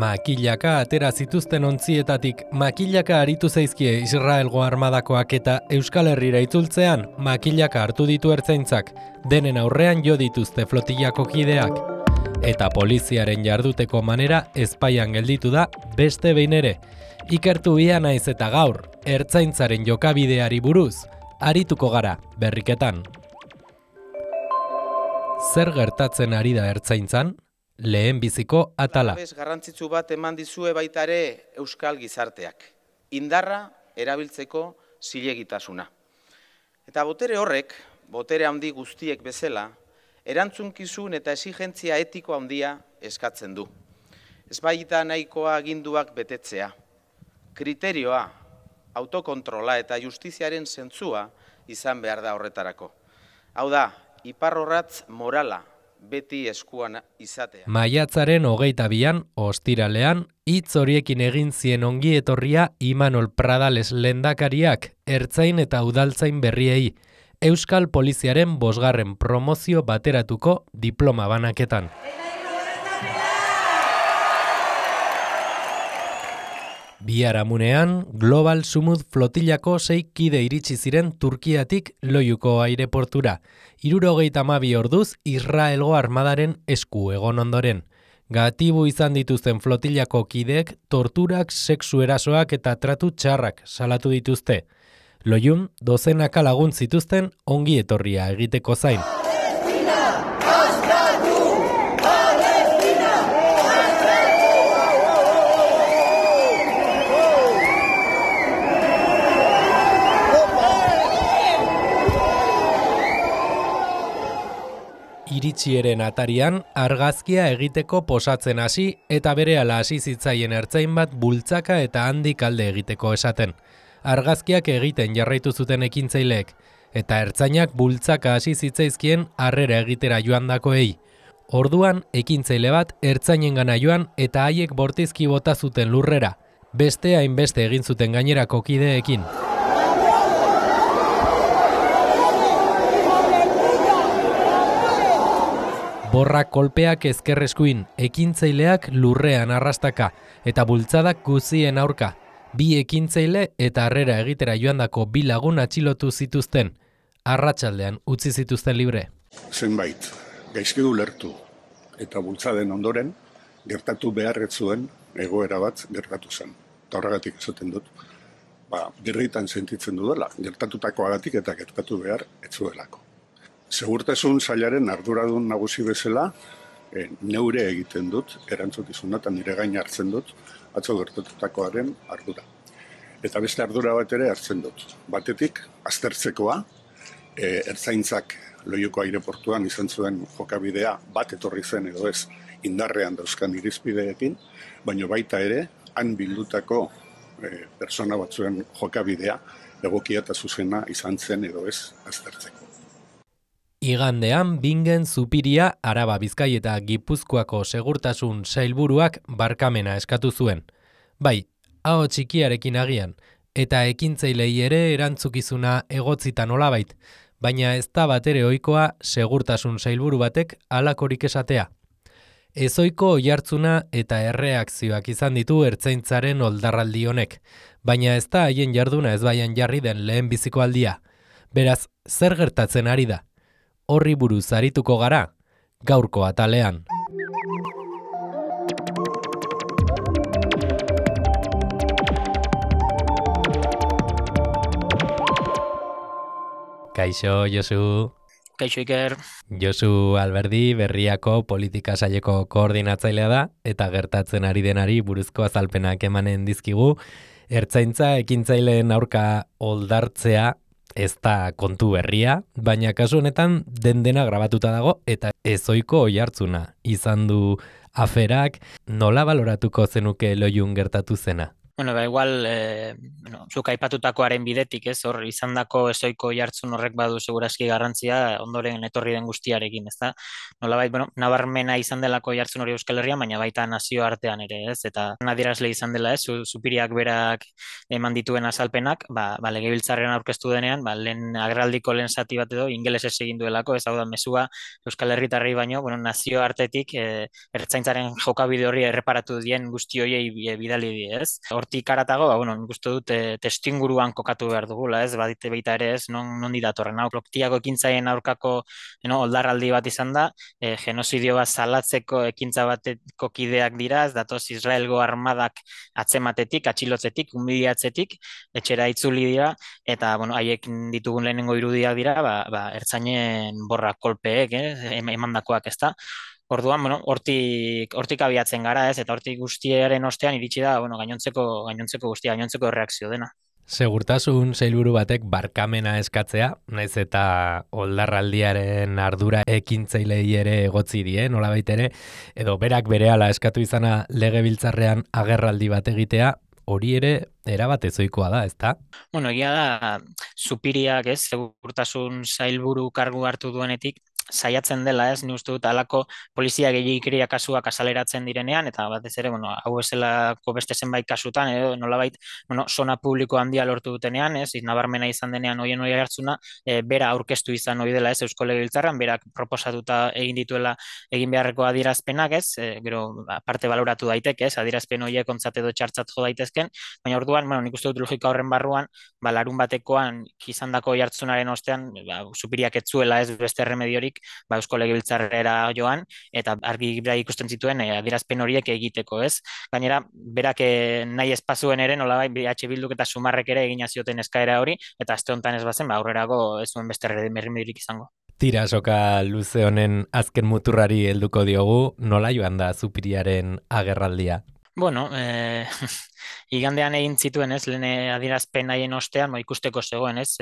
Makilaka atera zituzten ontzietatik makilaka aritu zaizkie Israelgo armadakoak eta Euskal Herrira itzultzean makilaka hartu ditu ertzaintzak, denen aurrean jo dituzte flotillako kideak. Eta poliziaren jarduteko manera ezpaian gelditu da beste behin ere. Ikertu ia naiz eta gaur, ertzaintzaren jokabideari buruz, arituko gara berriketan. Zer gertatzen ari da ertzaintzan? Lehen biziko atala. Garrantzitsu bat eman dizue baita ere euskal gizarteak. Indarra erabiltzeko zilegitasuna. Eta botere horrek, botere handi guztiek bezala, erantzunkizun eta exigentzia etiko handia eskatzen du. Ez baita nahikoa aginduak betetzea. Kriterioa, autokontrola eta justiziaren zentzua izan behar da horretarako. Hau da, iparrorratz morala beti eskuan izatea. Maiatzaren 22an, ostiralean, hitz horiekin egin zien ongi etorria Imanol Pradales lehendakariak ertzain eta udaltzain berriei, Euskal Poliziaren 5. promozio bateratuko diploma banaketan. Biharamunean, Global Sumud flotillako 6 kide iritsi ziren Turkiatik Loiuko aireportura. 72 orduz Israelgo armadaren esku egon ondoren. Gatibu izan dituzten flotillako kideek torturak, sexu erasoak eta tratu txarrak salatu dituzte. Loiun, dozenaka lagun zituzten ongi etorria egiteko zain. Iritsieren atarian, argazkia egiteko posatzen hasi eta berehala hasi zitzaien ertzain bat bultzaka eta handik alde egiteko esaten. Argazkiak egiten jarraitu zuten ekintzaileek, eta ertzainak bultzaka hasi zitzaizkien harrera egitera joandakoei. Orduan, ekintzaile bat ertzainengana joan eta haiek bortizki bota zuten lurrera, beste hainbeste egin zuten gainerako kideekin. Borrak kolpeak ezkerreskuin, ekintzaileak lurrean arrastaka, eta bultzadak guzien aurka. 2 ekintzaile eta harrera egitera joandako 2 lagun atxilotu zituzten. Arratsaldean utzi zituzten libre. Zenbait, gaizki ulertu eta bultzaden ondoren, gertatu beharret zuen egoera bat gertatu zen. Eta horregatik esaten dut, birritan sentitzen dudala, gertatutakoagatik eta gertatu behar ez zuelako. Segurtasun sailaren arduradun nagusi bezala, neure egiten dut, erantzukizuna eta nire gain hartzen dut, atzo gertatutakoaren ardura. Eta beste ardura bat ere hartzen dut. Batetik, aztertzekoa, ertzaintzak Loiuko aireportuan izan zuen jokabidea bat etorri zen edo ez indarrean dauzkan irizpideekin, baina baita ere, han bildutako persona batzuen jokabidea egokia eta zuzena izan zen edo ez aztertzeko. Igandean, Bingen Zupiria, Araba, Bizkai eta Gipuzkoako segurtasun sailburuak barkamena eskatu zuen. Bai, aho txikiarekin agian, eta ekintzailei ere erantzukizuna egotzita nolabait, baina ez da batere ohikoa segurtasun sailburu batek halakorik esatea. Ezohiko oihartzuna eta erreakzioak izan ditu ertzaintzaren oldarraldi honek, baina ez da haien jarduna ezbaian jarri den lehen biziko aldia. Beraz, zer gertatzen ari da? Horri buruz arituko gara, gaurko atalean. Kaixo, Josu. Kaixo, Iker. Josu Alberdi Berriako politika saileko koordinatzailea da, eta gertatzen ari denari buruzko azalpenak emanen dizkigu. Ertzaintza ekintzaileen aurka oldartzea ez da kontu berria, baina kasu honetan dena grabatuta dago eta ezohiko oihartzuna izan du aferak. Nola baloratuko zenuke Loiun gertatu zena? Bueno, igual, zuk aipatutakoaren bidetik, ez, hor, izandako ezoiko jartzun horrek badu segurazki garrantzia ondoren etorri den guztiarekin, ez da? Nolabait, bueno, nabarmena izan delako jartzun hori Euskal Herrian, baina baita nazioartean ere, ez? Eta nadierazle izan dela, ez, Zupiriak berak eman dituen azalpenak, legebiltzarrean aurkeztu denean, lehen agerraldiko lehen zati bat edo ingelesez egin duelako, ez hau da, mesua Euskal Herritarrei baino, bueno, nazioartetik ertzaintzaren jokabide horri erreparatu dien guzti horiei bidali die, ez? Hortik aratago, bueno, nik uste dut testuinguruan kokatu behar dugula, ez? Badite baita ere, ez? Nondi datorren hau. Loktiako ekintzaien aurkako oldarraldi bat izan da, genozidio bat salatzeko ekintza bateko kideak dira, ez datoz Israelgo armadak atzematetik, atxilotzetik, humiliatzetik, etxera itzuli dira, eta, bueno, haiek ditugun lehenengo irudiak dira, ertzainen borra kolpeek, emandakoak, ez da? Orduan, bueno, hortik abiatzen gara, ez, eta hortik guztiaren ostean iritsi da, bueno, gainontzeko erreakzio dena. Segurtasun sailburu batek barkamena eskatzea, naiz eta oldarraldiaren ardura ekintzailei ere egotzi die, nolabait ere, edo berak berehala eskatu izana legebiltzarrean agerraldi bat egitea, hori ere erabat ezoikoa da, ezta? Bueno, egia da, Zupiriak, ez, segurtasun sailburu kargu hartu duenetik, saiatzen dela, ez, ni uste dut halako polizia gehiagikeria kasuak azaleratzen direnean, eta batez ere, bueno, hau ezelako beste zenbait kasutan, edo nolabait, bueno, zona publiko handia lortu dutenean, ez, nabarmena izan denean hoien hori hartzuna, bera aurkeztu izan hori dela, ez, Eusko Legebiltzarran, berak proposatuta egin dituela egin beharreko adierazpenak, ez, gero, parte baloratu daiteke, ez, adierazpen horiek ontzat edo txartzat jo daitezken, baina orduan, bueno, nik uste dut logika horren barruan, larun batekoan izandako jartzunaren ostean, Zupiriak ez zuela, ez, beste remediorik Eusko Legebiltzarrera joan, eta argi ikusten zituen adierazpen horiek egiteko, ez? Gainera, berak nahi espazuen ere, nolabait, BH Bilduk eta Sumarrek ere egina zioten eskaera hori, eta aste honetan ez bazen, aurrerago ez zuen beste remediorik izango. Tira, soka luze honen azken muturrari helduko diogu, nola joan da Zupiriaren agerraldia? Bueno, igandean egin zituen, ez, lehen adierazpen haien ostean, ikusteko zegoen, ez,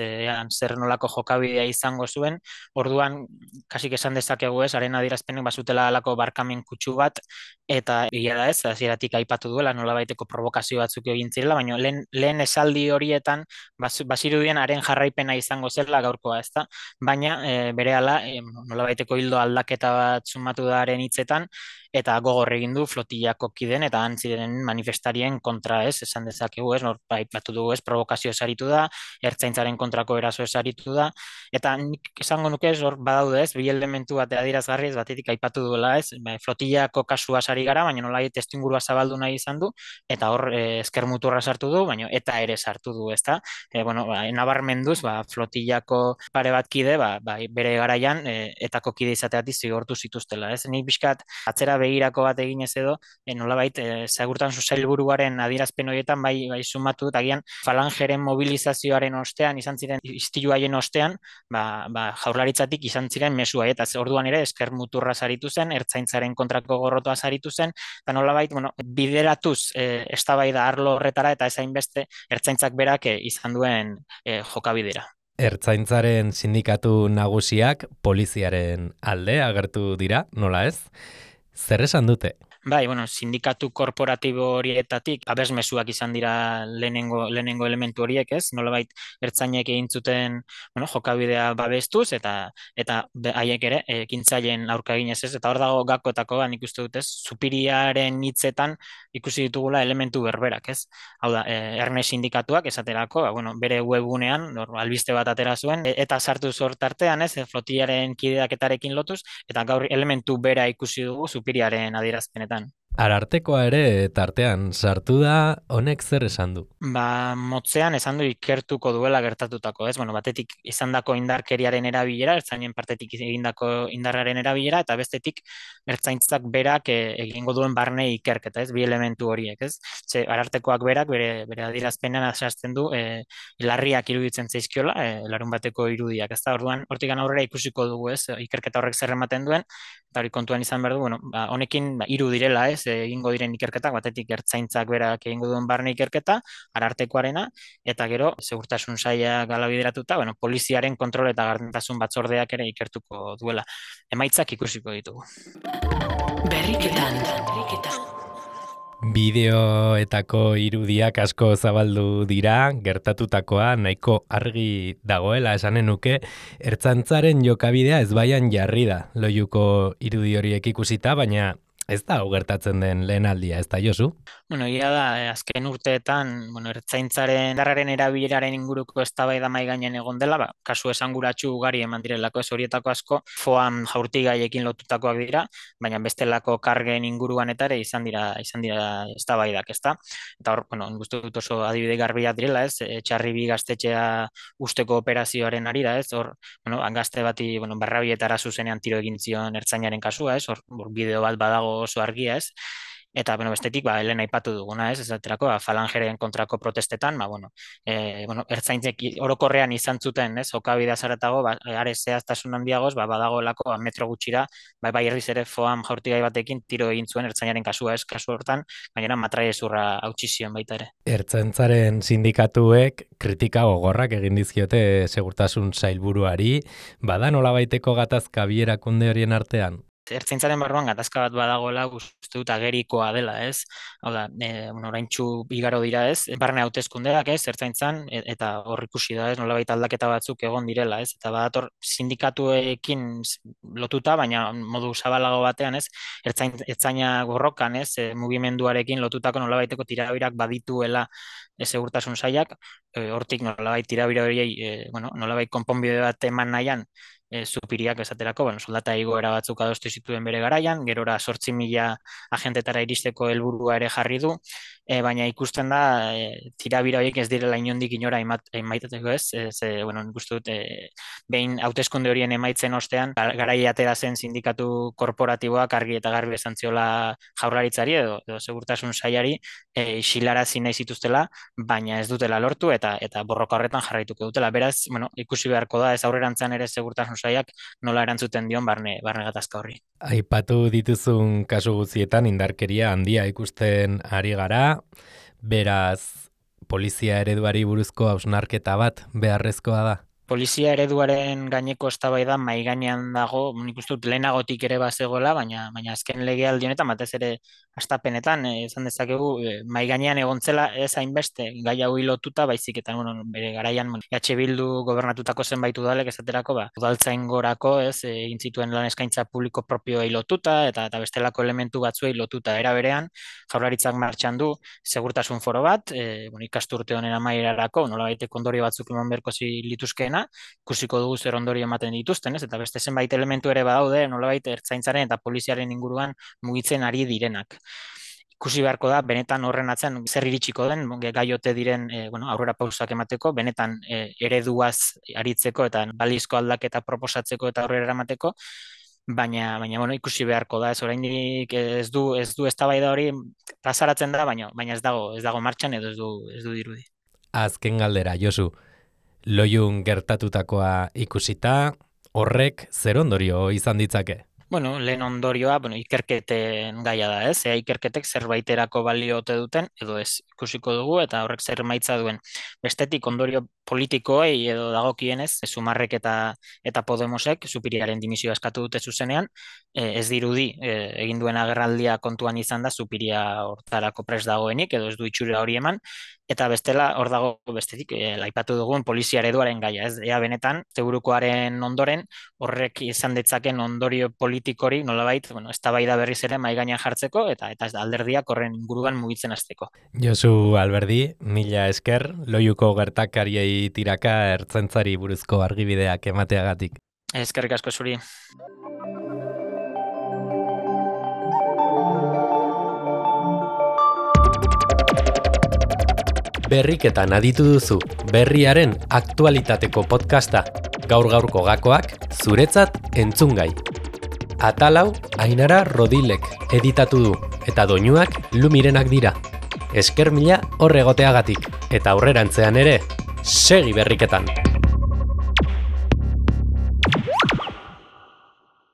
zer nolako jokabidea izango zuen, orduan, kasik esan dezakegu, ez, haren adierazpenen bazutela alako barkamen kutsu bat, eta egia da, ez, hasieratik aipatu duela, nolabaiteko provokazio batzuk egin zirela, baina lehen esaldi horietan, bazirudien haren jarraipena izango zela gaurkoa, ez da, baina berehala, nolabaiteko hildo aldaketa bat sumatu da haren hitzetan, eta gogor egin du flotillako kiden eta antziren manifestarien kontra, ez, esan dezakegu, ez, batu dugu, ez, provokazio esaritu da, ertzaintzaren kontrako eraso esaritu da, eta nik esango nuke, ez, hor badaude, ez, bi elementu bat adierazgarri, ez, batetik aipatu duela, ez, flotillako kasua sari gara, baina nolai testuingurua zabaldu nahi izan du, eta hor esker muturra sartu du, baina eta ere sartu du, ez da, bueno, nabarmenduz, flotillako pare bat kide, bere garaian, etako kide izateati zigortu zituztela, ez, nik bizkat atzera begirako bat eginez edo, nolabait, segurtasun sailburuaren adierazpen horietan bai sumatu, eta agian falangeren mobilizazioaren ostean, izan ziren istilu haien ostean, jaurlaritzatik izan ziren mezu eta orduan ere esker muturra saritu zen, ertzaintzaren kontrako gorrotoa saritu zen, eta nolabait, bueno, bideratuz eztabaida arlo horretara, eta ezain beste ertzaintzak berak izan duen jokabidera. Ertzaintzaren sindikatu nagusiak poliziaren alde agertu dira, nola ez? Zer esan dute? Bai, bueno, sindikatu korporatibo horietatik abesmesuak izan dira lehenengo elementu horiek, ez? Nolabait ertzainek egin zuten, bueno, jokabidea babestuz eta haiek ere ekintzaileen aurka eginez, ez? Eta hor dago gakoetako, nik uste dut, ez? Zupiriaren hitzetan ikusi ditugula elementu berberak, ez? Hau da, erne sindikatuak esaterako, bueno, bere webgunean albiste bat atera zuen eta sartu zort artean, ez? Flotillaren kideaketarekin lotuz eta gaur elementu bera ikusi dugu Zupiriaren adierazpenetan. Arartekoa ere tartean sartu da, honek zer esan du? Motzean esan du ikertuko duela gertatutako, ez? Bueno, batetik izandako indarkeriaren erabilera, ertzainen partetik egindako indarraren erabilera, eta bestetik ertzaintzak berak egingo duen barne ikerketa, ez? Bi elementu horiek, ez? Ze Arartekoak berak bere adierazpenean azartzen du larriak iruditzen zaizkiola, larun bateko irudiak, ez da? Orduan, hortik aurrera ikusiko dugu, ez? Ikerketa horrek zer ematen duen, eta hori kontuan izan behar du, bueno, honekin hiru direla, ez? Egingo diren ikerketak, batetik ertzaintzak berak egingo duen barne ikerketa, Arartekoarena, eta gero, segurtasun saila gala bideratuta, bueno, poliziaren kontrol eta gardentasun batzordeak ere ikertuko duela. Emaitzak ikusiko ditugu. Bideoetako irudiak asko zabaldu dira, gertatutakoa nahiko argi dagoela esanen nuke, ertzaintzaren jokabidea ezbaian jarri da Loiuko irudi horiek ikusita, baina ez da hau gertatzen den lehen aldia, ez da, Josu? Bueno, egia da, azken urteetan, ertzaintzaren indarraren erabileraren inguruko eztabaida mahai gainean egon dela, kasu esanguratsu ugari eman direlako, ez horietako asko, foam jaurtigaiekin lotutakoak dira, baina bestelako kargen inguruan eta ere izan dira eztabaidak, ezta? Eta hor, gustu dut oso adibide garbiak direla, ez? Txarribi gaztetxea usteko operazioaren arira, ez? Hor, gazte bati, Barrabietara zuzenean tiro egin zion ertzainaren kasua, ez? Hor bideo bat badago oso argia, ez? Eta, bestetik, helen aipatu duguna, ez? Esaterako, falangeren kontrako protestetan, ertzaintzek orokorrean izan zuten, ez? Jokabidea zaratago, are zehaztasun handiagoz, badagoelako metro gutxira, bai herriz ere foam jaurtigai batekin tiro egin zuen ertzainaren kasua, ez? Kasu hortan, gainera matraiezurra hautsi zion baita ere. Ertzaintzaren sindikatuek kritika gogorrak egin dizkiote segurtasun sailburuari, bada nolabaiteko gatazka bi erakunde horien artean? Ertzaintzaren barruan gatazka bat badagoela uste dut agerikoa dela, ez? Hau da, oraintsu igaro dira, ez? Barne hauteskundeak, ez? Ertzaintzan, eta hor ikusi da, ez? Nolabait aldaketa batzuk egon direla, ez? Eta badator sindikatuekin lotuta, baina modu zabalago batean, ez? Ertzaina gorrokan, ez? Mugimenduarekin lotutako nolabaiteko tirabirak badituela segurtasun sailak, hortik nolabait tirabira horiei, nolabait konponbide bat eman nahian, Supiriak esaterako, soldata igoera batzuk adostu zituen bere garaian, gerora 8.000 agentetara iristeko helburua ere jarri du, baina ikusten da tirabira horiek ez direla inondik inora emaitateko, ez? Nik uste dut, behin hauteskunde horien emaitzen ostean, garai atera zen sindikatu korporatiboak argi eta garbi esan ziola jaurlaritzari edo segurtasun sailari isilarazi nahi zituztela, baina ez dutela lortu eta borroka horretan jarraituko dutela. Beraz, ikusi beharko da, ez aurrerantzean ere segurtasun sailak nola erantzuten dion barne gatazka horri. Aipatu dituzun kasu guztietan indarkeria handia ikusten ari gara, beraz polizia ereduari buruzko hausnarketa bat beharrezkoa da. Polizia ereduaren gaineko eztabaida mahai gainean dago, nik uste dut lehenagotik ere bazegoela, baina azken legealdi honetan batez ere hastapenetan esan dezakegu mahai gainean egontzela ez hainbeste gai hau lotuta, baizik eta bere garaian EH Bildu gobernatutako zenbait udalek esaterako udaltzaingorako, ez, egin zituen lan eskaintza publiko propioei lotuta eta bestelako elementu batzuei lotuta. Era berean, Jaurlaritzak martxan du segurtasun foro bat, ikasturte honen amaierarako nolabaiteko ondorio batzuk eman beharko lituzkeena, ikusiko dugu zer ondorio ematen dituzten, ez? Eta beste zenbait elementu ere badaude, nolabait ertzaintzaren eta poliziaren inguruan mugitzen ari direnak. Ikusi beharko da, benetan horren atzean zer iritsiko den, gai ote diren aurrera pausak emateko, benetan ereduaz aritzeko eta balizko aldaketa proposatzeko eta aurrera eramateko, baina ikusi beharko da, ez oraindik ez du eztabaida hori plazaratzen da, baina ez dago martxan edo ez du dirudi. Azken galdera, Josu. Loiun gertatutakoa ikusita, horrek zer ondorio izan ditzake? Lehen ondorioa, ikerketen gaia da, ez? Ikerketek zerbaiterako balio ote duten, edo ez ikusiko dugu, eta horrek zer maitza duen. Bestetik ondorio politikoei edo dagokienez, Sumarrek eta Podemosek Supiriaren dimisioa eskatu dute zuzenean, ez dirudi egin duen agerraldia kontuan izan da Supiria hortarako prest dagoenik, edo ez du itxura hori eman, eta bestela hor dago bestetik aipatu dugun polizia ereduaren gaia, ez? Ea benetan, segurukoaren ondoren horrek izan ditzaken ondorio politikori nolabait, eztabaida berriz ere mahai gainean jartzeko eta alderdiak horren inguruan mugitzen hasteko. Josu Alberdi, mila esker, Loiuko gertakariei tiraka ertzaintzari buruzko argibideak emateagatik. Eskerrik asko zuri. Berriketan aditu duzu, berriaren aktualitateko podcasta. Gaur-gaurko gakoak zuretzat entzungai. Atalau Ainara Rodilek editatu du, eta doinuak Lumirenak dira. Esker mila hor egoteagatik, eta aurrerantzean ere, segi berriketan!